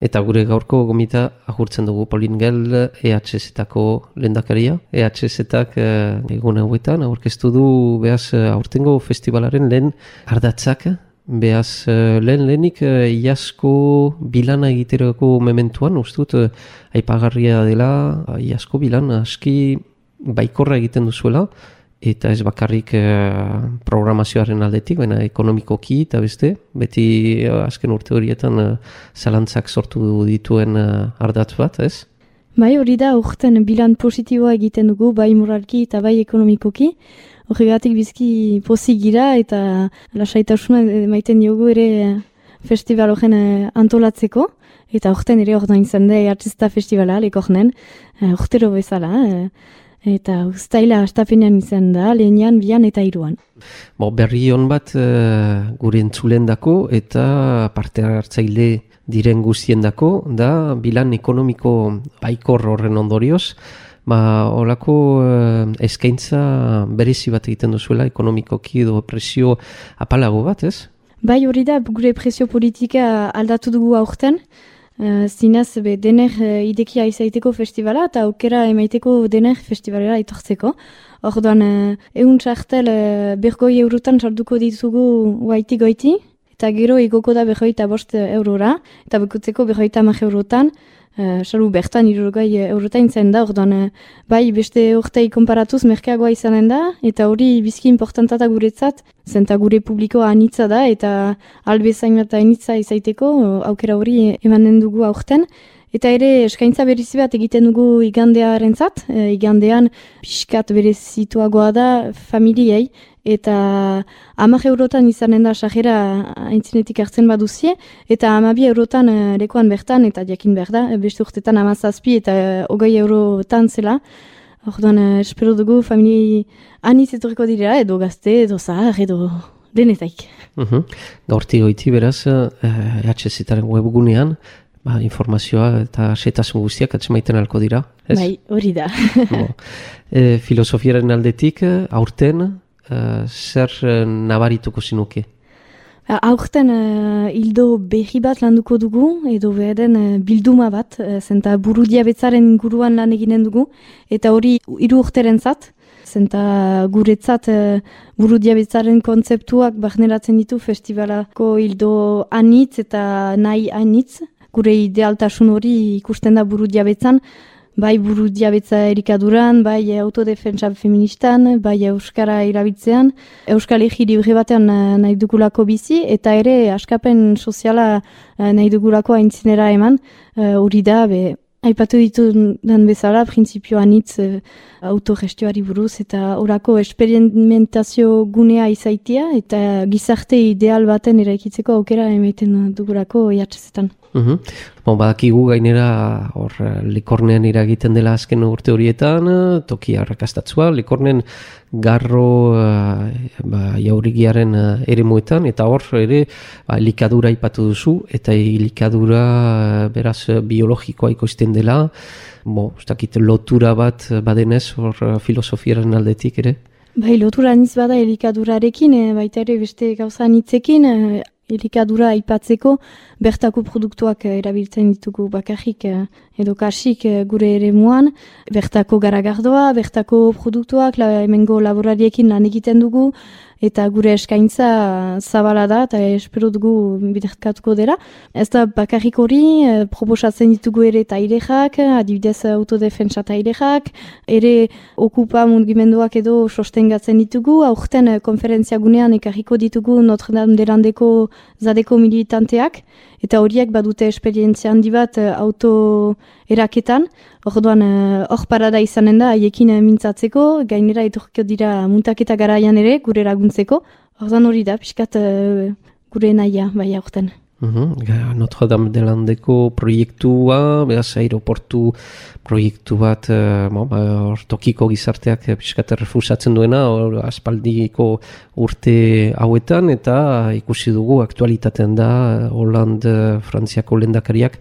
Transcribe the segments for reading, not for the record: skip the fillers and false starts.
Eta gure gaurko gomita agurtzen dugu Pauline Gell, EHZ-etako lehendakaria. EHZ-etak egun hauetan aurkeztu du behaz aurtengo festivalaren lehen ardatzak. Behaz lehenik iasko bilana egiterako mementuan, ustut aipagarria dela, iasko bilan aski baikorra egiten duzuela. Eta ez bakarrik programazioaren aldetik, baina ekonomikoki eta beste, beti azken urte horietan zalantzak sortu dituen ardatz bat, ez? Bai, hori da, urten bilan positiboa egiten dugu, bai moralki eta bai ekonomikoki. Horregatik bizki pozik gira eta lasaitasuna maiten diogu ere festival horren antolatzeko. Eta urten ere ordoin zen da artista festivala, lekornen, urtero bezala. Eta uztaila astapenean izan da, lehenean, bian eta hiruan. Berri hon bat gure entzulendako eta parte hartzaile diren guztiendako da bilan ekonomiko baikor horren ondorioz. Olako eskaintza berezi bat egiten duzuela ekonomikoki edo presio apalago bat, ez? Bai, hori da, gure presio politika aldatu dugu aurten. Zinez, dener idekia izaiteko festivala eta aukera emaiteko dener festivalera itortzeko. Orduan, egun txartel bergoi eurotan sarduko ditugu goiti, eta gero igoko da 25 eurora, eta bekotzeko 50 eurotan, salu bertan 60 eurotan zen da, orduan, bai beste urtei konparatuz merkeagoa izanen da, eta hori bizki importantata guretzat, zenta gure publikoa anitza da, eta albezain eta anitza izaiteko, aukera hori emanen dugu aurten. Eta ere eskaintza berezi bat egiten dugu igandearentzat, igandean pixkat berezituagoa da familiei, eta 10 eurotan izanen da sajera aintzinetik hartzen baduzie, eta 12 eurotan lekuan bertan, eta jakin behar da, beste urtetan 17 eta 20 eurotan zela. Orduan, espero dugu familiei anitz etorriko direla, edo gazte, edo zahar, edo denetaik. Gaurti goiti beraz, EHZ-etaren webgunean, informazioa eta setasun guztiak atzemaiten alko dira, ez? Bai, hori da. Filosofiaren aldetik, aurten, zer nabarituko zinuke? Aurten hildo berri bat landuko dugu, edo beharen bilduma bat, zenta buru diabetzaren inguruan lan eginen dugu, eta hori 3 urterentzat, zenta guretzat buru diabetzaren kontzeptuak barneratzen ditu festivalako hildo anitz eta nahi anitz. Gure idealtasun hori ikusten da buru diabetzan, bai buru diabetza erikaduran, bai autodefentsa feministan, bai euskara erabiltzean, euskal egi libre batean nahi dugulako bizi, eta ere askapen soziala nahi dugulako aintzinera eman, hori da, aipatu ditu den bezala, printzipio anitz autogestioari buruz, eta orako esperimentazio gunea izaitia, eta gizarte ideal baten eraikitzeko aukera emaiten dugulako EHZ-etan. Badakigu gainera Likornean iragiten dela azken urte horietan, toki arrakastatzua, Likornen garro jaurigiaren eremuetan, eta hor ere elikadura ipatu duzu, eta elikadura beraz biologikoa ikusten dela, lotura bat badenez hor filosofiaren aldetik ere? Bai, lotura niz bada elikadurarekin, baita ere beste gauza nitzekin, elikadura aipatzeko bertako produktuak erabiltzen ditugu bakarrik edo kasik gure eremuan, bertako garagardoa, bertako produktuak hemengo laborariekin lan egiten dugu, eta gure eskaintza zabala da, eta espero dugu biderkatuko dela. Ez da bakarrik hori, proposatzen ditugu ere tailexak, adibidez autodefentsa tailexak, ere okupa mugimenduak edo sostengatzen ditugu, aurten konferentzia gunean ekarriko ditugu Notre Dame de Landeko zadeko militanteak, eta horiek badute esperientzia handi bat auto eraketan, orduan hor parada izanen da haiekin mintzatzeko, gainera etorkio dira muntaketa garaian ere gure laguntzeko, orduan hori da, pixkat gure nahia bai aurten. Notre Dame de Landeko proiektua, beraz aeroportu proiektu bat tokiko gizarteak pixkat refusatzen duena aspaldiko urte hauetan, eta ikusi dugu aktualitatean da Hollande Frantziako lehendakariak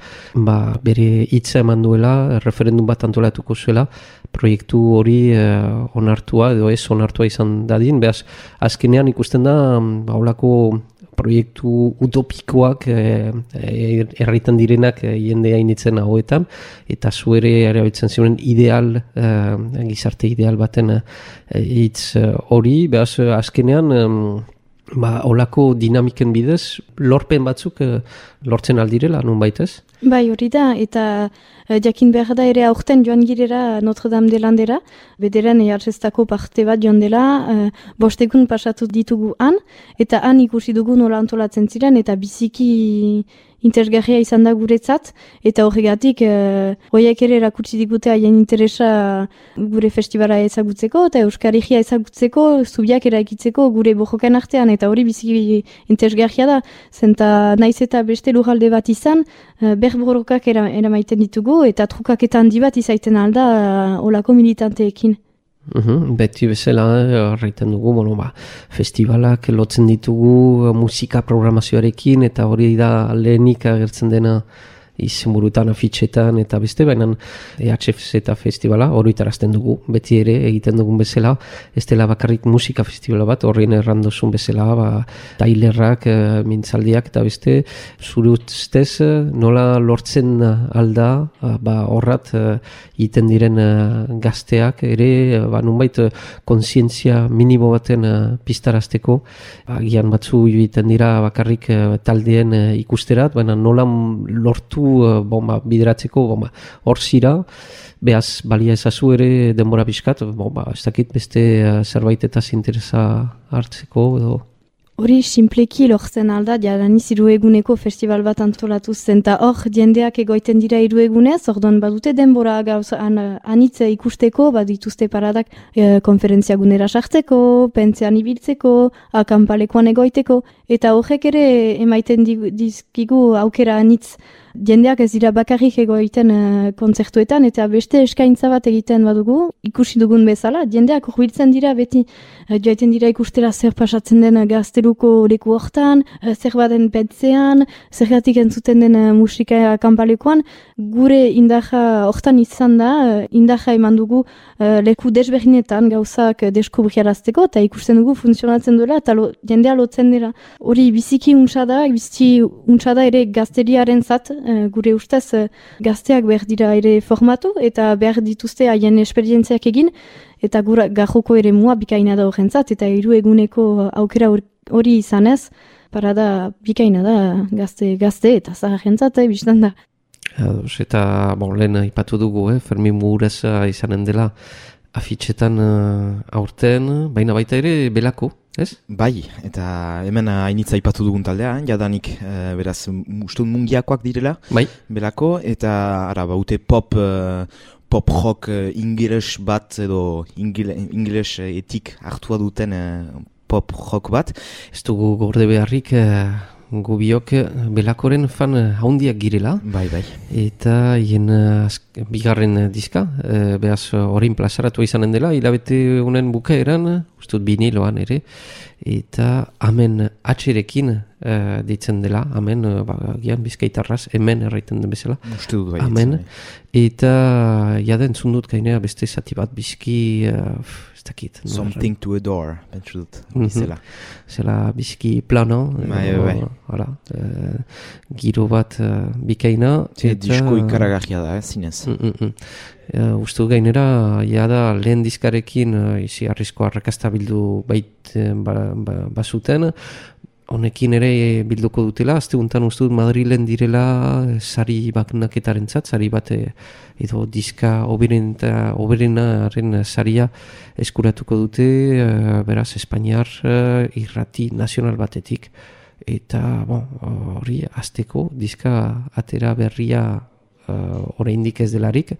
bere hitza eman duela, referendum bat antolatuko zuela, proiektu hori onartua edo ez onartua izan dadin, beraz azkenean ikusten da holako proiektu utopikoak erraiten direnak jende hainitzen hauetan, eta zuere erabiltzen ziren ideal, gizarte ideal baten hitz hori, behaz azkenean olako dinamiken bidez, lorpen batzuk lortzen aldirela, nun baitez? Bai, hori da, eta jakin behar da ere aurten joan girera Notre Dame de Landera, bederen jartzestako parte bat joan dela, 5 egun pasatu ditugu han, eta han ikusi dugu nola antolatzen ziren, eta biziki interesgarria izan da guretzat, eta horregatik horiek ere erakutsi digute haien interesa gure festivala ezagutzeko, eta Euskarigia ezagutzeko, zubiak eraikitzeko gure bojokan artean, eta hori biziki interesgarria da, zenta naiz eta beste lurralde bat izan, berborokak eramaiten ditugu, eta trukaketan handi bat izaiten alda olako militanteekin. Beti bezala horreiten dugu, festivalak lotzen ditugu musika programazioarekin, eta hori da lehenik agertzen dena izenburutan, afitxetan, eta beste, baina EHFZ eta festivala horretarazten dugu, beti ere egiten dugun bezala, ez dela bakarrik musika festivala bat, horrein errandozun bezala, tailerrak, mintzaldiak, eta beste, zure ustez nola lortzen alda, horrat egiten diren gazteak, ere, nunbait, konsientzia minimo baten piztarazteko, gian batzu egiten dira bakarrik taldeen ikusterat, baina nola lortu bideratzeko, hor zira, behaz balia ezazu ere denbora pixkat, ez dakit beste zerbait eta interesa hartzeko, edo... Hori simpleki lortzen alda, jadaniz 3 eguneko festival bat antolatu zen, eta hor jendeak egoiten dira 3 egunez, orduan badute denbora gauz anitz ikusteko, badituzte paradak konferentzia gunera sartzeko, pentzean ibiltzeko, akampalekoan egoiteko, eta horrek ere emaiten dizkigu aukera anitz. Jendeak ez dira bakarrik egoiten kontzertuetan, eta beste eskaintza bat egiten badugu, ikusi dugun bezala, jendeak hurbiltzen dira beti, joaiten dira ikustera zer pasatzen den gazteluko leku hortan, zer baden pentzean, zergatik entzuten den musika kanpalekoan, gure indaja hortan izan da, indaja eman dugu leku desberdinetan gauzak deskubriarazteko, eta ikusten dugu funtzionatzen duela, eta jendea lotzen dira. Hori biziki untsa da ere gazteriaren zat, gure ustez gazteak behar dira ere formatu eta behar dituzte haien esperientziak egin eta garroko ere mua bikaina da horrentzat eta 3 eguneko aukera hori izanez, parada bikaina da gazte eta zaharrentzat biztan da. Eta lehen ipatu dugu, Fermin Mugureza izanen dela afitxetan aurten, baina baita ere belako. Ez? Bai, eta hemen hainitza ipatu dugun taldea, jadanik beraz ustun mungiakoak direla, bai. Belako, eta baute pop rock ingeles bat edo ingeles etik hartua duten pop rock bat. Ez dugu gorde beharrik gubiok belakoren fan haundiak girela. Bai. Eta hien bigarren diska, behaz horrein plazaratu izanen dela, hilabete honen bukaeran, ustut biniloan ere, eta amen atxerekin ditzen dela, amen, gian bizkaitarraz, hemen erraiten den bezala. Uste dut bai. Amen, eta jaden zundut gainera beste zati bat bizki, ez dakit. Something to adore, pentsu dut, izela. Zela bizki plano, bai. Giro bat bikaina. Disko ikaragarria da, zinez. Uste gainera, jada lehen diskarekin izi arrisko arrakasta bildu bazuten, honekin ere bilduko dutela, azte guntan uste dut Madrilen direla sari baknaketaren zat, sari bat edo diska oberenaren saria eskuratuko dute, beraz Espainiar irrati nazional batetik. Eta hori azteko diska atera berria oraindik ez delarik,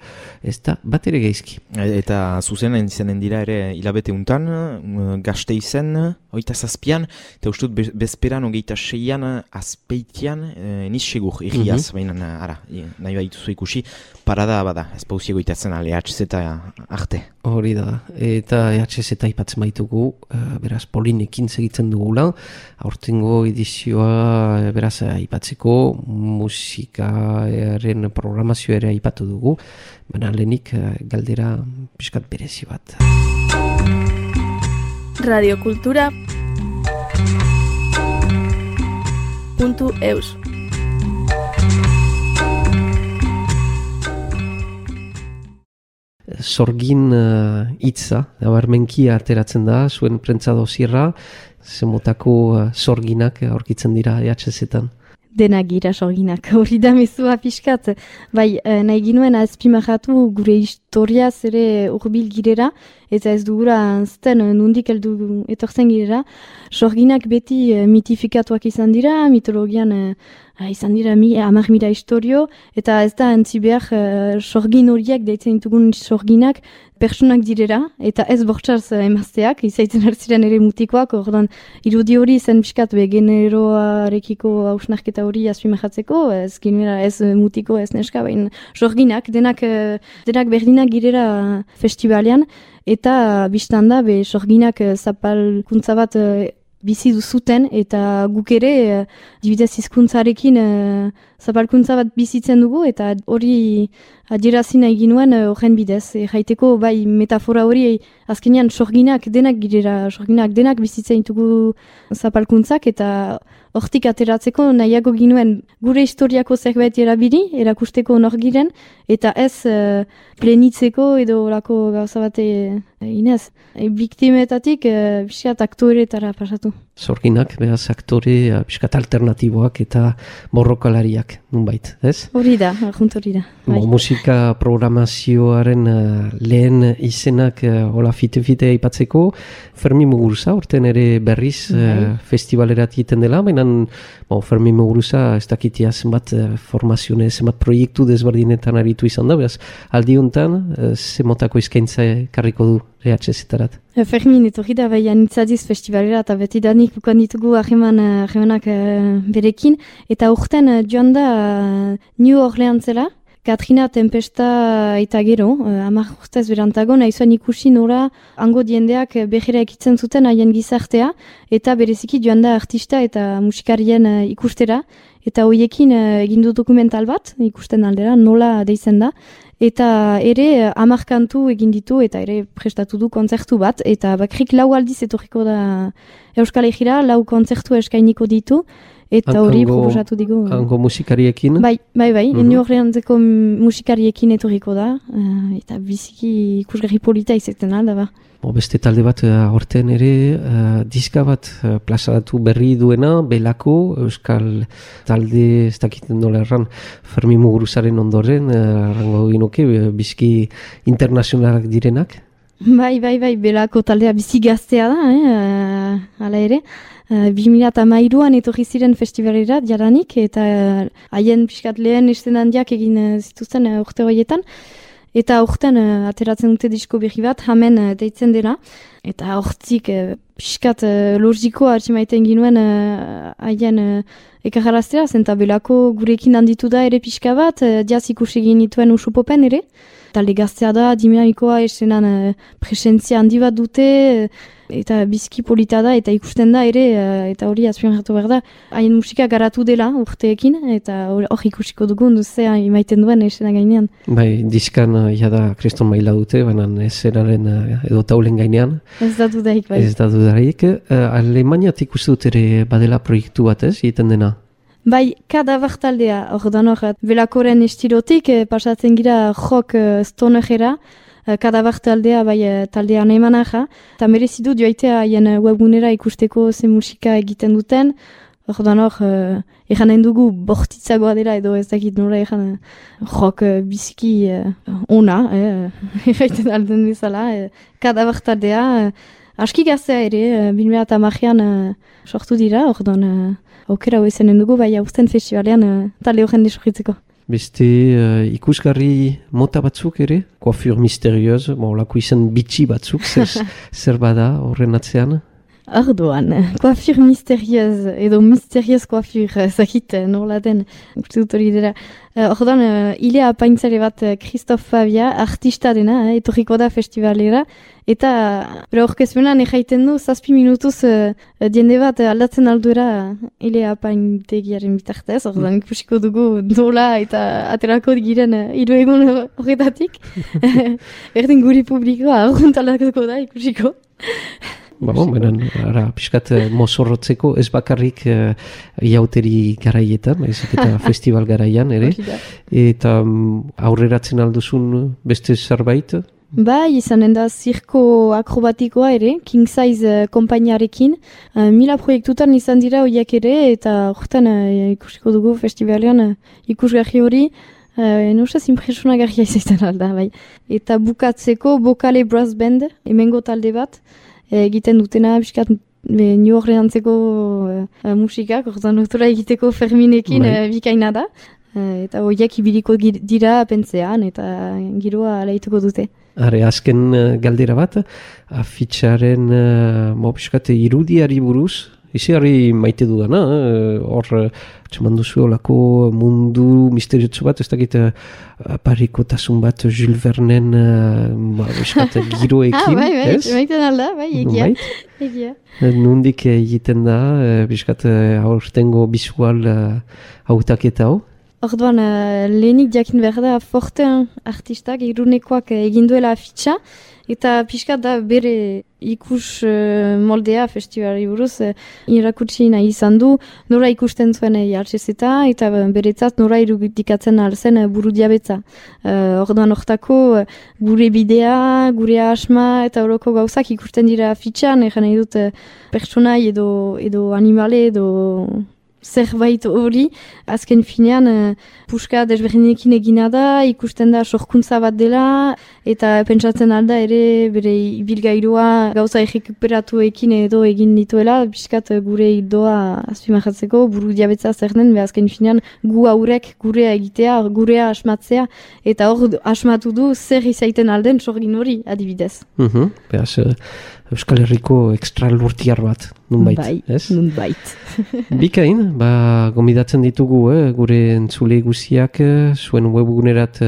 ez da bat ere geizki. Eta zuzenan izanen dira ere hilabete untan, gazte izen, 27an, eta ustut bezperan 26an azpeitian, niz segur, irriaz, baina nahi baituzu ikusi, parada bada, ez pausiego itatzen EHZ eta arte. Hori da, eta EHZ eta ipatzen baitugu, beraz Polinekin segitzen dugula, aurtengo edizioa beraz aipatzeko musikaren programazio ere aipatu dugu, baina lehenik galdera pixkat berezi bat. Radio Kultura sorgin.eus. Sorgin hitza, nabarmenki ateratzen da, zuen prentza dosierra, zemotako sorginak aurkitzen dira EHZ-etan. Denak gira sorginak, hori da mezua pixkat. Bai, nahi ginuen azpimarratu gure historiaz ere urbil girera, eta ez dugura anzten nundik heldu etortzen girera. Sorginak beti mitifikatuak izan dira, mitologian izan dira 10.000 historio, eta ez da antzi behar sorgin horiek, deitzen ditugun sorginak, personak direra, eta ez bortxaz emazteak, izaiten hartziren ere mutikoak, ordan irudi hori zen biskat generoarekiko hausnarketa hori azpimahatzeko, ez ginera ez mutiko ez neska, baina sorginak, denak berdinak girera festivalean, eta biztanda sorginak zapalkuntza bat bizi duzuten, eta guk ere dibidez hizkuntzarekin zapalkuntza bat bizitzen dugu, eta hori adierazi nahi ginuen horren bidez. Jaiteko bai metafora hori azkenean sorginak denak girera, sorginak denak bizitzen ditugu zapalkuntzak, eta hortik ateratzeko nahiago ginuen gure historiako zerbait erabili, erakusteko nor giren, eta ez plenitzeko edo orako gauza bate inez. Biktimetatik biskat aktoretara pasatu. Sorginak, behaz, aktore biskat alternatiboak eta borrokalariak, nunbait, ez? Hori da, junt hori da. Musika programazioaren lehen izenak hola fite-fite aipatzeko, Fermin Muguruza, orten ere berriz festivalerat egiten dela, baina Fermin Muguruza ez dakitia zenbat formazione, zenbat proiektu desberdinetan aritu izan da, behaz, aldi honetan, zemotako izkaintza karriko du EHZ-etarat. Fermin etorri da bai anitzadiz festivalera eta beti danik bukan ditugu ahemanak berekin, eta urten joan da New Orleansela, Katrina Tempesta eta gero, 10 urtez berantago, nahi zuen ikusi nora hango diendeak behera ekitzen zuten haien gizartea, eta bereziki joan da artista eta musikarien ikustera, eta hoiekin egindu dokumental bat, ikusten aldera, nola deitzen da, eta ere 10 kantu egin ditu, eta ere prestatu du kontzertu bat, eta bakrik 4 aldiz etorriko da Euskal Herrira, 4 kontzertu eskainiko ditu, eta hori proposatu digu. Hango musikariekin? Bai, New Orleanseko musikariekin etorriko da, eta biziki ikusgarri polita izaten alda ba. Beste talde bat horten ere diska bat plazaratu berri duena, Belako, Euskal talde, ez dakiten nola erran, Fermin Muguruzaren ondoren, errango ginuke, biziki internazionalak direnak? Bai, Belako taldea bizi gaztea da, hala ere. 2013an etorri ziren festivalera jadanik, eta haien pixkat lehen esten handiak egin zituzten urte horietan. Eta urten ateratzen dute disko berri bat, Hamen deitzen dela. Eta hortzik pixkat logikoa hartzimaiten ginuen haien ekarraraztera, zenta Belako gurekin handitu da ere pixka bat, diaz ikusi genituen usupopen ere. Talde gaztea da, dinamikoa esenan presentzia handi bat dute, eta biziki polita da, eta ikusten da ere, eta hori azpimarratu behar da, haien musika garatu dela urteekin, eta hor ikusiko dugun duzea imaiten duen esena gainean. Bai, diskan jada kriston maila dute, baina esenaren edo taulen gainean. Ez da dudarik, bai. Ez da dudarik. Alemaniat ikusten dut ere badela proiektu bat, ez, egiten dena? Bai, Kadaver taldea, ordan hor, Belakoren estilotik, pasatzen gira rock stonerera, Kadaver taldea, bai, taldea nemanaja, eta merezidu joaitea haien webgunera ikusteko ze musika egiten duten, ordan hor, eranen dugu bortitzagoa dela, edo ez dakit nora eran rock biziki ona, eraiten alden bezala, Kadaver taldea, aski gaztea ere, 2010an sortu dira, ordan aukera hoizenen dugu, bai hausten festivalean talde horren desorritzeko. Beste ikusgarri mota batzuk ere, coiffure misterioz, lako izan bitxi batzuk, zer bada horren atzean? Ardoan, coiffure misterioz, edo misterioz coiffure, zakit, nola den, uste dut hori dira. Ordan, ile apaintzare bat Christophe Fabia, artista dena, etorriko da festivalera, eta bera orkezpenan ejaiten du, 7 minutuz diende bat aldatzen alduera ile apaintegiaren bitartez, ordan ikusiko dugu nola eta aterako giren 3 egun horretatik. Berdin guri publikoa, argunt aldatuko da ikusiko. benen, piskat mozorrotzeko, ez bakarrik iauteri garaietan, ezik eta festival garaian, ere. Eta aurreratzen alduzun beste zerbait? Bai, izanen da zirko akrobatikoa ere, King Size konpainiarekin. 1000 proiektutan izan dira horiek ere, eta horretan ikusiko dugu festivalean ikusgarri hori. Nusaz impresionagarria izaiten alda, bai. Eta bukatzeko Bokale Brass Band, hemengo talde bat, egiten dutena, biskat New Orleanseko musikak, ordan autora egiteko Ferminekin bikaina da. Eta horiek ibiliko dira pentzean, eta giroa alaituko dute. Are, azken galdera bat, afitxaren biskat irudiari buruz, izigarri maite dudana, hor txeman duzu olako mundu misteriotso bat, ez dakit parikotasun bat Jules Vernen biskat giroekin, ez? Bai, maiten alda, bai, egia. Nundik egiten da, biskat aurtengo bisual hautaketa hau? Orduan, lehenik jakin behar da Forten artistak irunekoak egin duela afitxa, eta pixkat da bere ikus moldea festivalari buruz irakutsi nahi izan du, nora ikusten zuen jartxezeta, eta beretzat nora irudikatzen alzen buru diabetza. Orduan hortako gure bidea, gure asma eta horoko gauzak ikusten dira afitxan, egan nahi dut pertsonai edo animale edo zerbait hori, azken finean puska desberdinekin egina da, ikusten da sorkuntza bat dela, eta pentsatzen alda ere bere ibilgailua gauza errekuperatuekin edo egin dituela, piskat gure hildoa azpimarratzeko, buru diabetza zer den, azken finean gu haurek gurea egitea, gurea asmatzea, eta hor asmatu du zer izaiten alden sorgin hori adibidez. Beaz, Euskal Herriko extralurtiar bat, nunbait, ez? Bai, nunbait. Bikain, gomidatzen ditugu, gure entzule guziak zuen webgunerat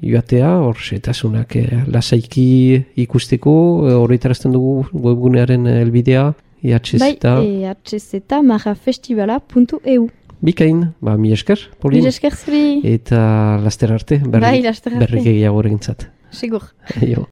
joatea, hor setasunak lasaiki ikusteko, horretarazten dugu webgunearen helbidea, ihz. Bai, ihz.marafestivala.eu. Bikain, mi esker, Polin. Mi esker zuri. Eta laster arte, berrik egiago egintzat. Sigur. Jo.